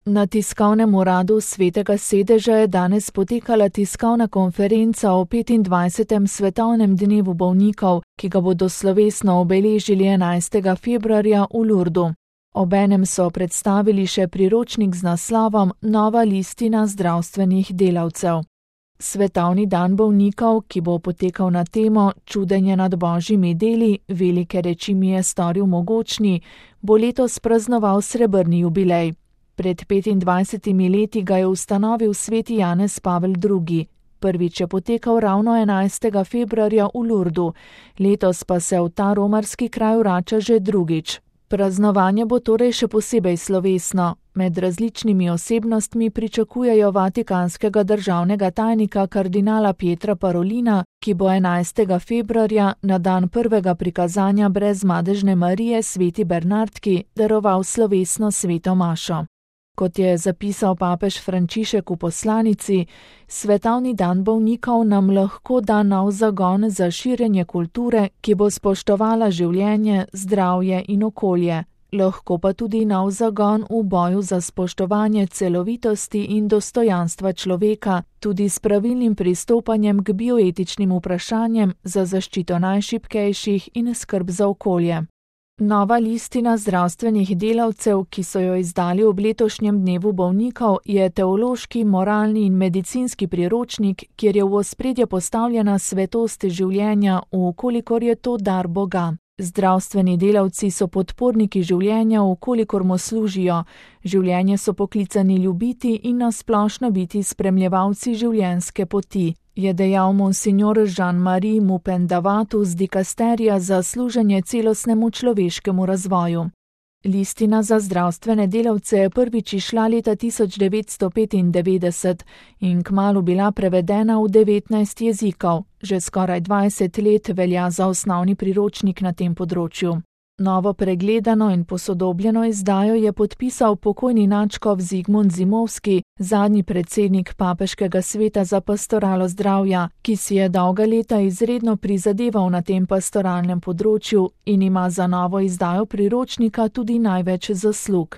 Na tiskovnem uradu Svetega sedeža je danes potekala tiskovna konferenca o 25. svetovnem dnevu bolnikov, ki ga bodo slovesno obeležili 11. februarja v Lurdu. Obenem so predstavili še priročnik z naslovom Nova listina zdravstvenih delavcev. Svetovni dan bolnikov, ki bo potekal na temo Čudenje nad božjimi deli, velike reči mi je storil mogočni, bo letos praznoval srebrni jubilej. Pred 25 leti ga je ustanovil sveti Janez Pavel II. Prvič je potekal ravno 11. februarja v Lurdu, letos pa se v ta romarski kraj vrača že drugič. Praznovanje bo torej še posebej slovesno. Med različnimi osebnostmi pričakujejo vatikanskega državnega tajnika kardinala Pietra Parolina, ki bo 11. februarja na dan prvega prikazanja brez madežne Marije sveti Bernardki daroval slovesno sveto mašo. Kot je zapisal papež Frančišek v poslanici, svetovni dan bolnikov nam lahko da nov zagon za širjenje kulture, ki bo spoštovala življenje, zdravje in okolje. Lahko pa tudi nov zagon v boju za spoštovanje celovitosti in dostojanstva človeka, tudi s pravilnim pristopanjem k bioetičnim vprašanjem za zaščito najšibkejših in skrb za okolje. Nova listina zdravstvenih delavcev, ki so jo izdali ob letošnjem dnevu bolnikov, je teološki, moralni in medicinski priročnik, kjer je v ospredje postavljena svetost življenja, vkolikor je to dar Boga. Zdravstveni delavci so podporniki življenja, vkolikor mu služijo. Življenje so poklicani ljubiti in nasplošno biti spremljevalci življenjske poti, je dejal monsignor Jean-Marie Mupendavatu z dikasterija za služenje celostnemu človeškemu razvoju. Listina za zdravstvene delavce je prvič izšla leta 1995 in kmalu bila prevedena v 19 jezikov. Že skoraj 20 let velja za osnovni priročnik na tem področju. Novo pregledano in posodobljeno izdajo je podpisal pokojni nadškof Zigmund Zimovski, zadnji predsednik Papeškega sveta za pastoralo zdravja, ki si je dolga leta izredno prizadeval na tem pastoralnem področju in ima za novo izdajo priročnika tudi največ zaslug.